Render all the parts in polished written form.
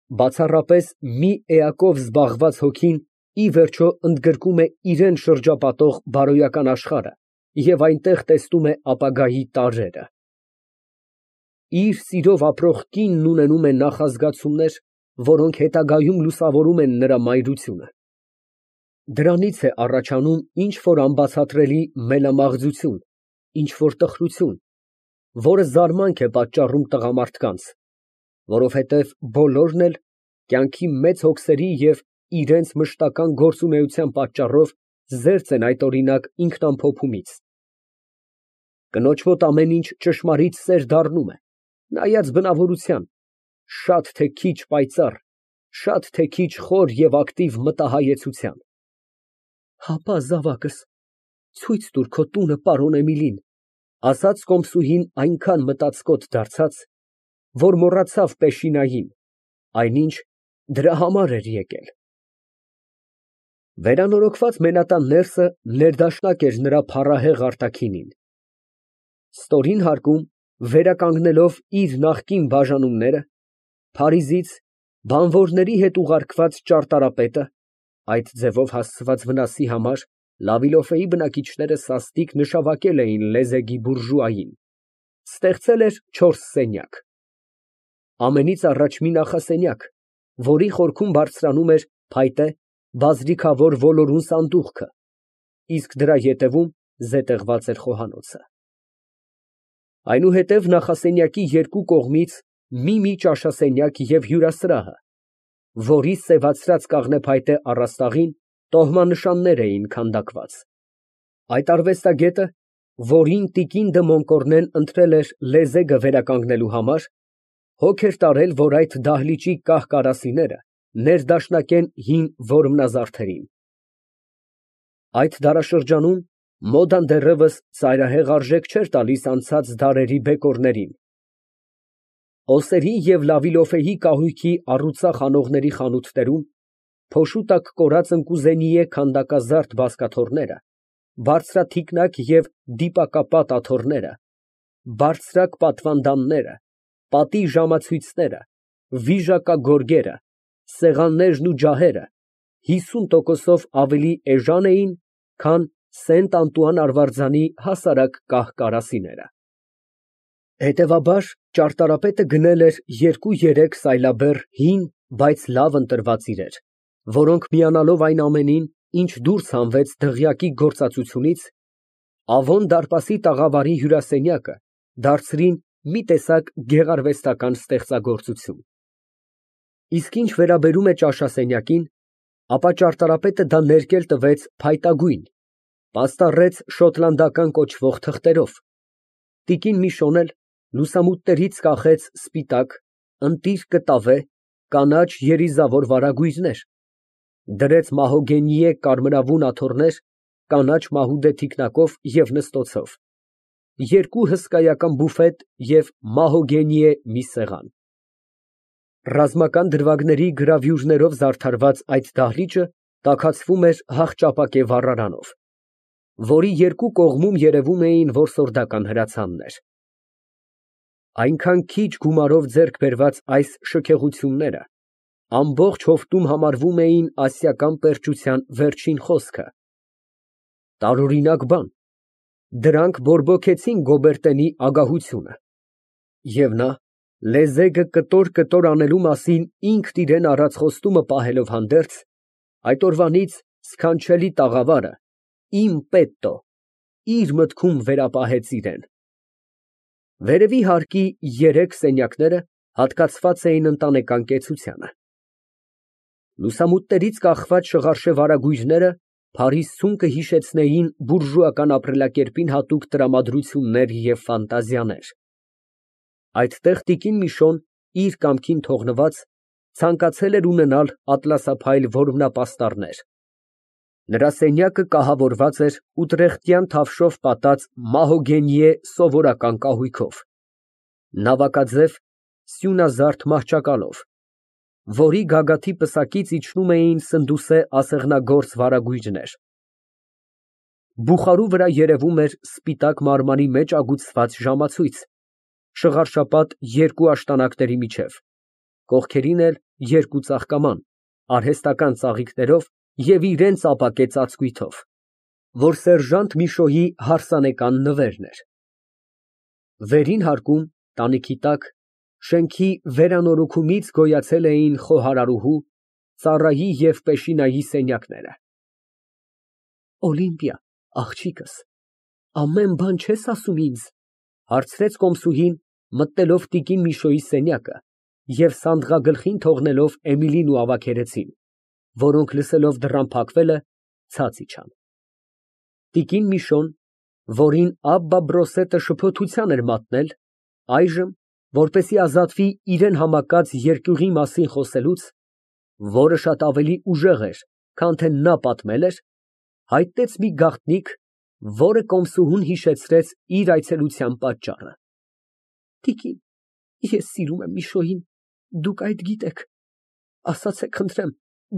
Բացառապես մի էակով զբաղված հոգին ի վերջո ընդգրկում է իրան շրջապատող բարոյական աշխարհը և այնտեղ տեսնում է ապագայի տարրերը։ Իր սիրով ապրող կինն ունենում է նախազգացումներ, որոնք հետագայում լուսավորում են նրա մայրությունը։ Դրանից է առաջանում ինչ֊որ անբացատրելի մելամաղձություն, ինչ֊որ տխրություն, որը զարմանք է պատճառում տղամարդկանց, որովհետև բոլորն էլ կյանքի մեծ հոգսերի և իրենց մշտական գործունեության պատճառով զերծ են այդօրինակ ինքնամփոփումից։ Կնոջ մոտ ամեն ինչ ճշմարիտ սեր դառնում է, նայած բնավորության, շատ թե քիչ պայծառ, շատ թե քիչ խոր և ակտիվ մտահայեցության։ «Հապա, զավակս, ցույց տուր քո տունը պարոն Էմիլին», ասաց կոմսուհին այնքան մտածկոտ դարձած, որ մոռացավ պեշինային, այնինչ դրա համար էր եկել։ Վերանորոգված մենատան ներսը ներդաշնակ էր նրա փառահեղ արտաքինին։ Ստորին հարկում, վերականգնելով իր նախկին բաժանումները, Փարիզից բանվորների հետ ուղարկված ճարտարապետը (այդ ձևով հասցված վնասի համար Լավիլոֆեի բնակիչները սաստիկ նշավակել էին լեզեգի բուրժուային) ստեղծել էր 4 սենյակ։ Ամենից առաջ մի նախասենյակ, որի խորքում բարձրանում էր փայտե, բազրիքավոր ոլորուն սանդուղքը, իսկ դրա ետևում զետեղված էր խոհանոցը։ Այնուհետև նախասենյակի երկու կողմից մի ճաշասենյակ և հյուրասրահը, որի սևացրած կաղնեփայտե առաստաղին տոհմանշաններ էին քանդակված։ Այդ արվեստագետը, որին տիկին դը Մոնկորնեն ընտրել էր լեզեգը վերականգնելու համար, հոգ էր տարել, որ այդ դահլիճի կահ֊կարասիները ներդաշնակեն հին որմնազարդերին։ Այդ դարաշրջանում մոդան դեռևս ծայրահեղ արժեք չէր տալիս անցած դարերի բեկորներին։ Օսերի և Լավիլոֆեի կահույքի առուծախ անողների խանութներում փոշու տակ կորած ընկուզենիե քանդակազարդ բազկաթոռները, բարձրաթիկնակ և դիպակապատ աթոռները, բարձրակ պատվանդանները, պատի ժամացույցները, վիժակագորգերը, սեղաններն ու ջահերը 50%-ով ավելի էժան էին, քան Սենտ Անտուան արվարձանի հասարակ կահ֊կարասիները։ Հետևաբար, ճարտարապետը գնել էր 2-3 սայլաբեռ հին, բայց լավ ընտրված իրեր, որոնք միանալով այն ամենին, ինչ դուրս հանվեց դղյակի գործածությունից, Ավոն դարպասի տաղավարի հյուրասենյակը դարձրին մի տեսակ գեղարվեստական ստեղծագործություն։ Իսկ ինչ վերաբերում է ճաշասենյակին, ապա ճարտարապետը դա ներկել տվեց փայտագույն, պաստառեց շոտլանդական կոչվող թղթերով, տիկին Միշոն էլ լուսամուտներից կախեց սպիտակ, ընտիր կտավե, կանաչ երիզավոր վարագույրներ, դրեց մահոգենիե կարմրավուն աթոռներ կանաչ մահուդե թիկնակով և նստոցով, 2 հսկայական բուֆետ և մահոգենիե մի սեղան։ Ռազմական դրվագների գրավյուրներով զարդարված այդ դահլիճը տաքացվում էր հախճապակե վառարանով, որի երկու կողմում երևում էին որսորդական հրացաններ։ Այնքան քիչ գումարով ձեռք բերված այս շքեղությունները ամբողջ հովտում համարվում էին ասիական պերճության վերջին խոսքը։ Տարօրինակ բան, դրանք բորբոքեցին Գոբերտենի ագահությունը, և նա, լեզեգը կտոր անելու մասին ինքն իրան առած խոստումը պահելով հանդերձ, այդ օրվանից սքանչելի տաղավարը «իմ պետտո» իր մտքում վերապահեց իրան։ Վերևի հարկի 3 սենյակները հատկացված էին ընտանեկան կեցությանը։ Լուսամուտներից կախված շղարշե վարագույրները Փարիզցուն կհիշեցնեին բուրժուական ապրելակերպին հատուկ տրամադրություններ և ֆանտազիաներ։ Այդտեղ տիկին Միշոն, իր կամքին թողնված, ցանկացել էր ունենալ ատլասափայլ որմնապաստառներ։ Նրա սենյակը կահավորված էր ուտրեխտյան թավշով պատած մահոգենիե սովորական կահույքով, նավակաձև սյունազարդ մահճակալով, որի գագաթի պսակից իջնում էին սնդուսե ասեղնագործ վարագույրներ։ Բուխարու վրա երևում էր սպիտակ մարմարի մեջ ագուցված ժամացույց, շղարշապատ 2 աշտանակների միջև, կողքերին էլ երկու ծաղկաման, արհեստական ծաղիկներով և իրան ապակե ծածկույթով, որ սերժանտ Միշոյի հարսանեկան նվերն էր։ Վերին հարկում, տանիքի տակ, շենքի վերանորոգումից գոյացել էին խոհարարուհու, ծառայի և պեշինայի սենյակները։ Օլիմպիա, աղջիկս, ամեն բան չես ասում ինձ, հարցրեց կոմսուհին, մտնելով տիկին Միշոյի սենյակը և սանդղագլխին թողնելով Էմիլին ու ավագերեցին, որոնք լսելով դռան փակվելը, ցած իջան։ Տիկին Միշոն, որին Աբբա֊Բրոսետը շփոթության էր մատնել, այժմ, որպեսզի ազատվի իրան համակած երկյուղի մասին խոսելուց, որը շատ ավելի ուժեղ էր, քան թե նա պատմել էր, հայտնեց մի գաղտնիք, որը կոմսուհուն հիշեցրեց իր այցելության պատճառը։ Տիկին, ես սիրում եմ Միշոյին, դուք այդ գիտեք, ասացեք խնդրեմ,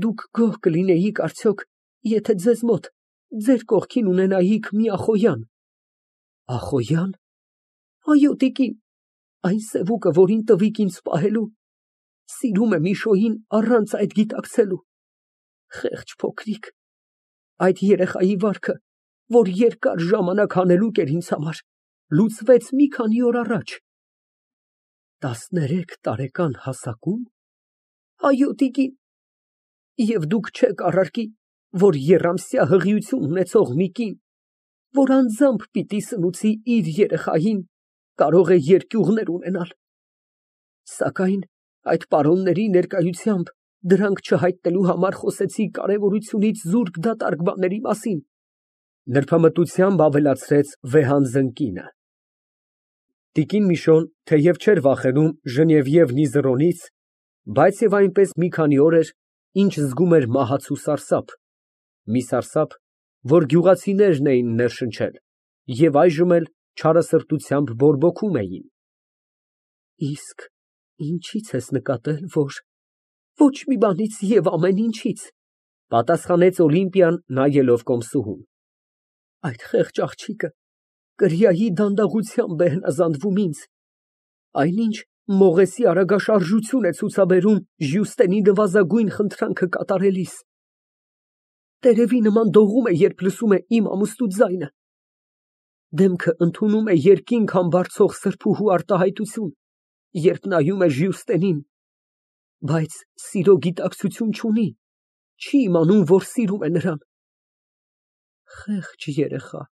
դուք գոհ կլինեիք արդյոք, եթե ձեզ մոտ, ձեր կողքին ունենայիք մի ախոյան։ Ախոյա՞ն։ Այո, տիկին, այն սևուկը, որին տվիք ինձ պահելու, սիրում է Միշոյին առանց այդ գիտակցելու։ Խեղճ փոքրիկ, այդ երեխայի վարքը, որ երկար ժամանակ հանելուկ էր ինձ համար, լուծվեց մի քանի օր առաջ։ 13 տարեկան հասակում։ Այո, տիկին, և դուք չեք առարկի, որ եռամսյա հղիություն ունեցող մի կին, որ անձամբ պիտի սնուցի իր երեխային, կարող է երկյուղներ ունենալ։ Սակայն այդ պարոնների ներկայությամբ դրանք չհայտնելու համար խոսեցի կարևորությունից զուրկ դատարկ բաների մասին, նրբամտությամբ ավելացրեց վեհանձն կինը։ Տիկին Միշոն, թեև չէր վախենում Ժնևիև Նիզեռոնից, բայց և այնպես մի քանի օր էր, ինչ զգում էր մահացու սարսափ, մի սարսափ, որ գյուղացիներն էին ներշնչել և այժմ էլ չարասրտությամբ բորբոքում էին։ Իսկ ինչի՞ց ես նկատել, որ… Ոչ մի բանից և ամեն ինչից, պատասխանեց Օլիմպիան, նայելով կոմսուհուն։ Այդ խեղճ աղջիկը կրիայի դանդաղությամբ է հնազանդվում ինձ, այնինչ մողեսի արագաշարժություն է ցուցաբերում Ժյուստենի նվազագույն խնդրանքը կատարելիս։ Տերևի նման դողում է, երբ լսում է իմ ամուսնու ձայնը։ Դեմքը ընդունում է երկինք համբարձող սրբուհու արտահայտություն, երբ նայում է Ժյուստենին, բայց սիրո գիտակցություն չունի, չի իմանում, որ սիրում է նրան։ Խեղճ երեխա,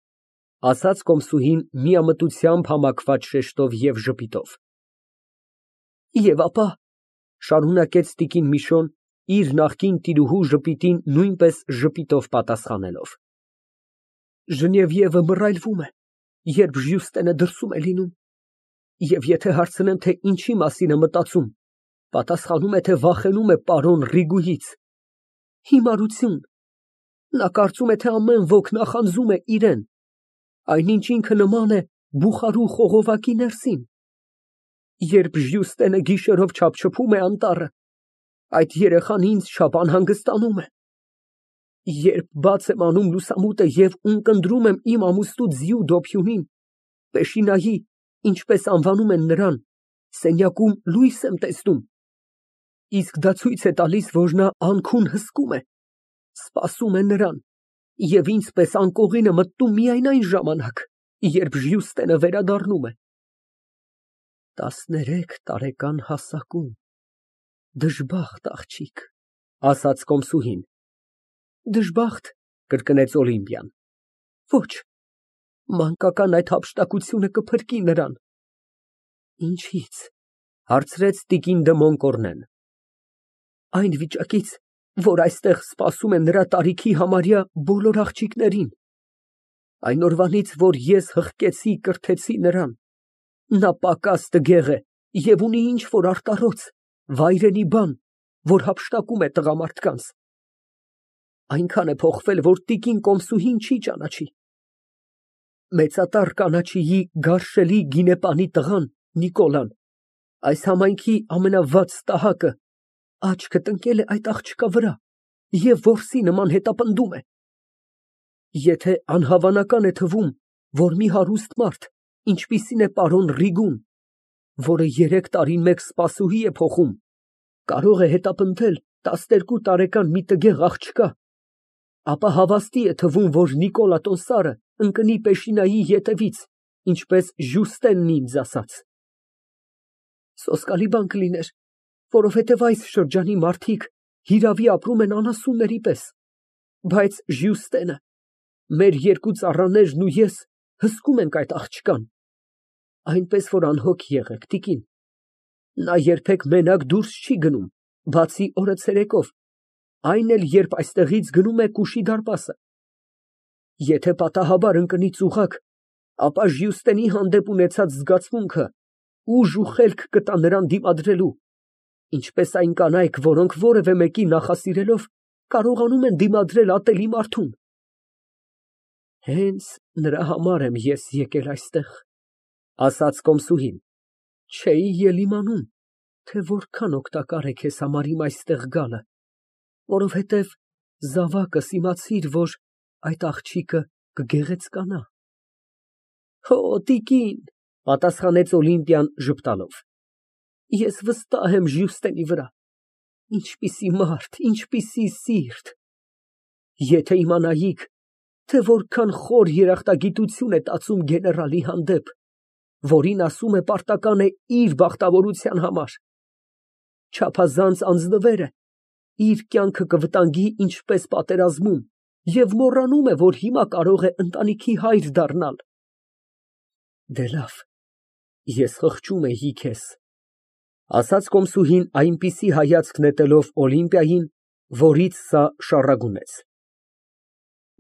ասաց կոմսուհին միամտությամբ համակված շեշտով և ժպիտով։ Եվ ապա, շարունակեց տիկին Միշոն, իր նախկին տիրուհու ժպիտին նույնպես ժպիտով պատասխանելով, Ժնևիևը մռայլվում է, երբ Ժյուստենը դրսում է լինում, և եթե հարցնեմ, թե ինչի մասին է մտածում, պատասխանում է, թե վախենում է պարոն Ռիգուից։ Հիմարություն։ Նա կարծում է, թե ամեն ոք նախանձում է իրան, այնինչ ինքը նման է բուխարու խողովակի ներսին։ Երբ Ժյուստենը գիշերով չափչփում է անտառը, այդ երեխան ինձ չափ անհանգստանում է։ Երբ բաց եմ անում լուսամուտը և ունկնդրում եմ իմ ամուսնու ձիու դոփյունին, Պեշինայի, ինչպես անվանում են նրան, սենյակում լույս եմ տեսնում, իսկ դա ցույց է տալիս, որ նա անքուն հսկում է, սպասում է նրան և ինձ պես անկողին է մտնում միայն այն ժամանակ, երբ Ժյուստենը վերադառնում է։ 13 տարեկան հասակում, դժբախտ աղջիկ, ասաց կոմսուհին։ Դժբախտ, կրկնեց Օլիմպիան։ Ոչ, մանկական այդ հափշտակությունը կփրկի նրան։ Ինչի՞ց, հարցրեց տիկին դը Մոնկորնեն։ Այն վիճակից, որ այստեղ սպասում է նրա տարիքի համարյա բոլոր աղջիկներին։ Այն օրվանից, որ ես հղկեցի, կրթեցի նրան, նա պակաս տգեղ է և ունի ինչ֊որ արտառոց, վայրենի բան, որ հափշտակում է տղամարդկանց։ Այնքան է փոխվել, որ տիկին կոմսուհին չի ճանաչի։ Մեծատառ կանաչիի գարշելի գինեպանի տղան Նիկոլան, այս համայնքի ամենավատ ստահակը, աչքը տնկել է այդ աղջկա վրա և որսի նման հետապնդում է։ Եթե անհավանական է թվում, որ մի հարուստ մարդ, ինչպիսին է պարոն Ռիգուն, որը 3 տարին մեկ սպասուհի է փոխում, Կարող է հետապնդել 12 տարեկան մի տգեղ աղջկա, ապա հավաստի է թվում, որ Նիկոլա տոմսարը ընկնի Պեշինայի ետևից, ինչպես Ժյուստենն ինձ ասաց։ Սոսկալի բան կլիներ, որովհետև այս շրջանի մարդիկ հիրավի ապրում են անասունների պես, բայց Ժյուստենը, մեր երկու ծառաներն ու ես հսկում ենք այդ աղջկան, այնպես որ անհոգ եղեք, տիկին, նա երբեք մենակ դուրս չի գնում, բացի օրը ցերեկով, այն էլ երբ այստեղից գնում է Կուշի դարպասը։ Եթե պատահաբար ընկնի ծուղակ, ապա Ժյուստենի հանդեպ ունեցած զգացմունքը ուժ ու խելք կտա նրան դիմադրելու, ինչպես այն կանայք, որոնք որևէ մեկի նախասիրելով կարողանում են դիմադրել ատելի մարդուն։ Հենց նրա համար եմ ես եկել այստեղ, ասաց կոմսուհին, չէի էլ իմանում, թե որքան օգտակար է քեզ համար իմ այստեղ գալը, որովհետև զավակս իմացիր, որ այդ աղջիկը կգեղեցկանա։ Հո, տիկին, պատասխանեց Օլիմպիան ժպտալով, ես վստահ եմ Ժյուստենի վրա, ինչպիսի մարդ, ինչպիսի սիրտ, եթե իմանայիք, թե որքան խոր երախտագիտություն է տածում գեներալի հանդեպ, որին ասում է պարտական է իր բախտավորության համար, չափազանց անձնվեր է, իր կյանքը կվտանգի ինչպես պատերազմում և մոռանում է, որ հիմա կարող է ընտանիքի հայր դառնալ։ Դե լավ, ես խղճում էի քեզ, ասաց կոմսուհին այնպիսի հայացք նետելով Օլիմպիային, որից սա շառագունեց։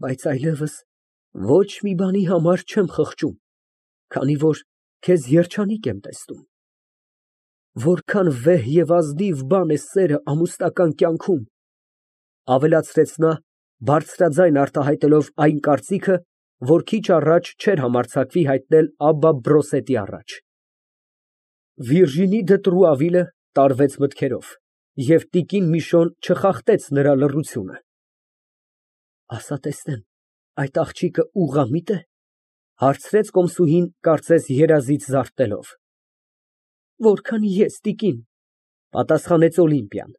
Բայց այլևս ոչ մի բանի համար չեմ խղճում, քանի որ քեզ երջանիկ եմ տեսնում։ Որքան վեհ և ազնիվ բան է սերը ամուսնական կյանքում, ավելացրեց նա, բարձրաձայն արտահայտելով այն կարծիքը, որ քիչ առաջ չէր համարձակվի հայտնել Աբբա Բրոսետի առաջ։ Վիրժինի դը Տրուավիլը տարվեց մտքերով, և տիկին Միշոն չխախտեց նրա լռությունը։ Ասա տեսնեմ, այդ աղջիկը ուղղամի՞տ է, հարցրեց կոմսուհին, կարծես երազից զարթնելով։ Որքան ես, տիկին, պատասխանեց Օլիմպիան։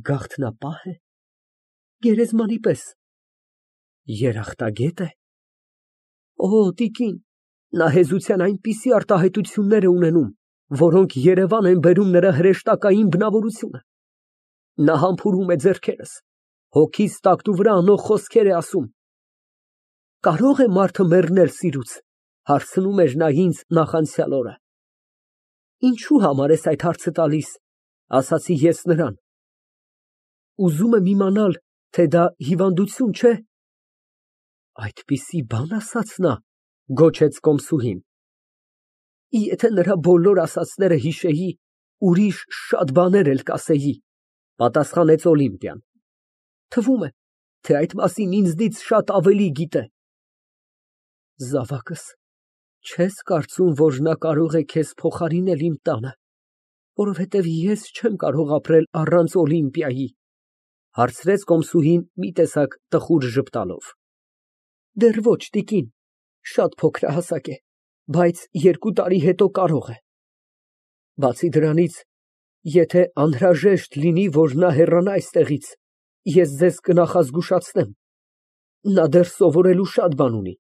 Գաղտնապահ է, գերեզմանի պես, երախտագետ է։ Օ, տիկին, նա հեզության այնպիսի արտահայտություններ է ունենում, որոնք երևան են բերում նրա հրեշտակային բնավորությունը։ Նա համբուրում է ձեռքերս, հոգիս տակտու վրա անող խոսքեր է ասում։ Կարո՞ղ է մարդը մեռնել սիրուց, հարցնում էր նա ինձ նախանցյալ օրը։ Ինչու համար ես այդ հարցը տալիս, ասացի ես նրան։ Ուզում եմ իմանալ, թե դա հիվանդություն չէ։ Այդպիսի բան ասաց նա, գոչեց կոմսուհին։ Եթե նրա բոլոր ասածները հիշեի, ուրիշ շատ բաներ էլ կասեի, պատասխանեց Օլիմպիան։ Թվում է, թե այդ մասին ինձնից շատ ավելի գիտե։ Զավակս, չես կարծում, որ նա կարող է քեզ փոխարինել իմ տանը, որովհետև ես չեմ կարող ապրել առանց Օլիմպիայի, հարցրեց կոմսուհին մի տեսակ տխուր ժպտալով։ Դեռ ոչ, տիկին, շատ փոքրահասակ է, բայց 2 տարի հետո կարող է։ Բացի դրանից, եթե անհրաժեշտ լինի, որ նա հեռանա այստեղից, ես ձեզ կնախազգուշացնեմ, նա դեռ սովորելու շատ բան ունի,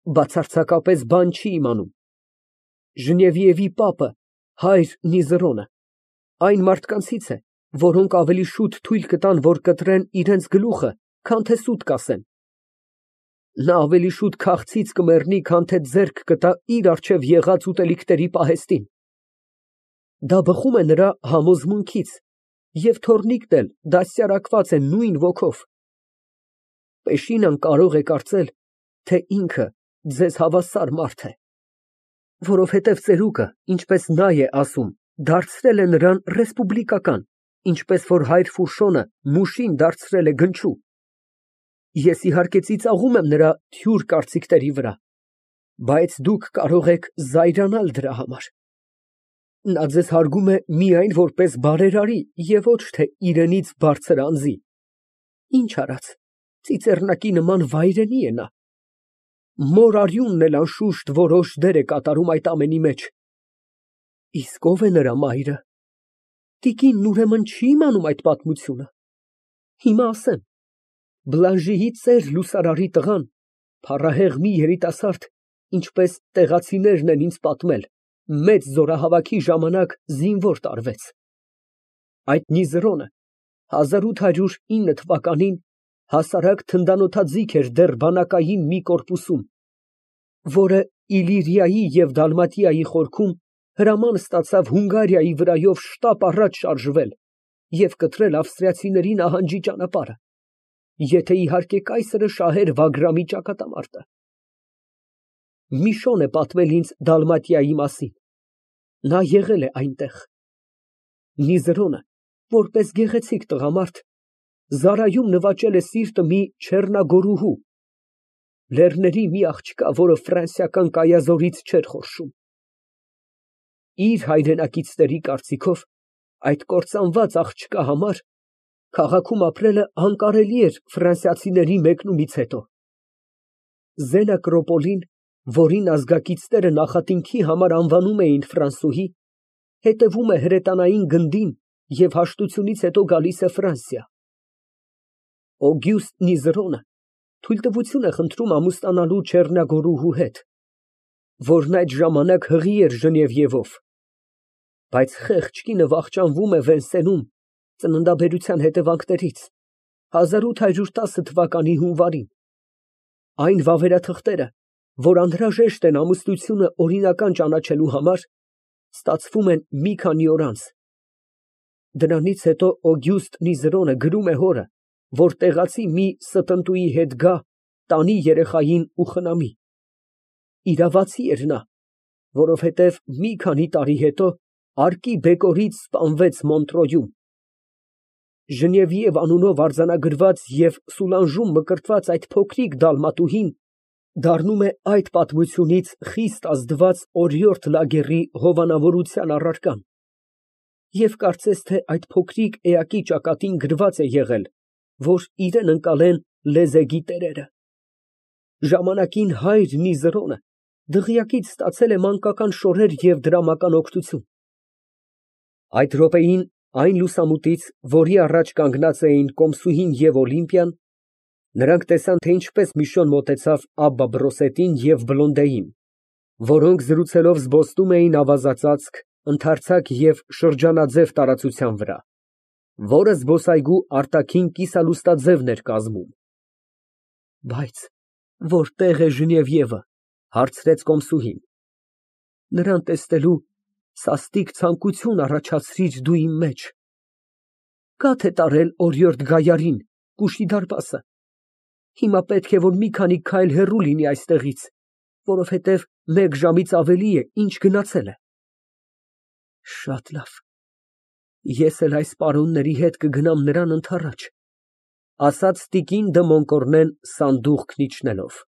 բացարձակապես բան չի իմանում։ Ժնևիևի պապը, հայր Նիզրոնը, այն մարդկանցից է, որոնք ավելի շուտ թույլ կտան, որ կտրեն իրենց գլուխը, քան թե սուտ կասեն։ Նա ավելի շուտ քաղցից կմեռնի, քան թե ձեռք կտա իր առջև եղած ուտելիքների պահեստին։ Դա բխում է նրա համոզմունքից, և թոռնիկն էլ դաստիարակված է նույն ոգով։ Պեշինան կարող է կարծել, թե ինքը ձեզ հավասար մարդ է, որովհետև ծերուկը, ինչպես նա է ասում, դարձրել է նրան ռեսպուբլիկական, ինչպես որ հայր Ֆուշոնը Մուշին դարձրել է գնչու։ Ես իհարկե ծիծաղում եմ նրա թյուր կարծիքների վրա, բայց դուք կարող եք զայրանալ դրա համար։ Նա ձեզ հարգում է միայն որպես բարերարի և ոչ թե իրենից բարձր անձի։ Ինչ արած, ծիծեռնակի նման վայրենի է նա։ Մոր արյունն էլ անշուշտ որոշ դեր է կատարում այդ ամենի մեջ։ Իսկ ո՞վ է նրա մայրը։ Տիկինն ուրեմն չի իմանում այդ պատմությունը։ Հիմա ասեմ, Բլանժիի ծեր լուսարարի տղան, փառահեղ մի երիտասարդ, ինչպես տեղացիներն են ինձ պատմել, մեծ զորահավաքի ժամանակ զինվոր տարվեց։ Այդ Նիզրոնը 1809 թվականին հասարակ թնդանոթաձիգ էր դեռ բանակային մի կորպուսում, որը Իլիրիայի և Դալմատիայի խորքում հրաման ստացավ Հունգարիայի վրայով շտապ առաջ շարժվել և կտրել ավստրիացիների նահանջի ճանապարհը, եթե իհարկե կայսրը շահեր Վագրամի ճակատամարտը։ Միշոն է պատմել ինձ Դալմատիայի մասին, նա եղել է այնտեղ։ Նիզրոնը, որպես գեղեցիկ տղամարդ, Զարայում նվաճել է սիրտը մի չեռնագորուհու, լեռների մի աղջկա, որը ֆրանսիական կայազորից չէր խորշում։ Իր հայրենակիցների կարծիքով, այդ կործանված աղջկա համար քաղաքում ապրելը անկարելի էր ֆրանսիացիների մեկնումից հետո։ Զենակրոպոլին, որին ազգակիցները նախատինքի համար անվանում էին Ֆրանսուհի, հետևում է հրետանային գնդին և հաշտությունից հետո գալիս է Ֆրանսիա։ Օգյուստը Նիզրոնը թույլտվություն է խնդրում ամուսնանալու չեռնագորուհու հետ, որն այդ ժամանակ հղի էր Ժնևիևով, բայց խեղճ կինը վախճանվում է Վենսենում ծննդաբերության հետևանքներից 1810 թվականի հունվարին։ Այն վավերաթղթերը, որ անհրաժեշտ են ամուսնությունը օրինական ճանաչելու համար, ստացվում են մի քանի օր անց։ Դրանից հետո Օգյուստը Նիզրոնը գրում է հորը, որ տեղացի մի ստընտուի հետ գա, տանի երեխային ու խնամի։ Իրավացի էր նա, որովհետև մի քանի տարի հետո արկի բեկորից սպանվեց Մոնտրոյում։ Ժնևիև անունով արձանագրված և Սուլանժում մկրտված այդ փոքրիկ դալմատուհին դառնում է այդ պատմությունից խիստ ազդված օրիորդ Լագերի հովանավորության առարկան, և կարծես թե այդ փոքրիկ էակի ճակատին գրված է եղել, որ իրան ընկալեն լեզեգի տերերը։ Ժամանակին հայր Նիզրոնը դղյակից ստացել է մանկական շորեր և դրամական օգնություն։ Այդ րոպեին այն լուսամուտից, որի առաջ կանգնած էին Կոմսուհին և Օլիմպիան, նրանք տեսան, թե ինչպես Միշոն մոտեցավ Աբբա Բրոսետին և Բլոնդեին, որոնք զրուցելով զբոսնում էին ավազածածկ, ընդարձակ և շրջանաձև տարածության վրա, որը զբոսայգու արտաքին կիսալուստաձևն էր կազմում։ Բայց որտե՞ղ է Ժնևիևը, հարցրեց Կոմսուհին։ Նրան տեսնելու սաստիկ ցանկություն առաջացրիր դու իմ մեջ։ Կա՞ թե տարել օրիորդ Գայարին, կուշի դարպասը։ Հիմա պետք է, որ մի քանի քայլ հեռու լինի այստեղից, որովհետև մեկ ժամից ավելի է, ինչ գնացել է։ Շատ լավ, ես էլ այս պարոնների հետ կգնամ նրան ընդառաջ, ասաց տիկին դը Մոնկորնեն սանդուղքն իջնելով։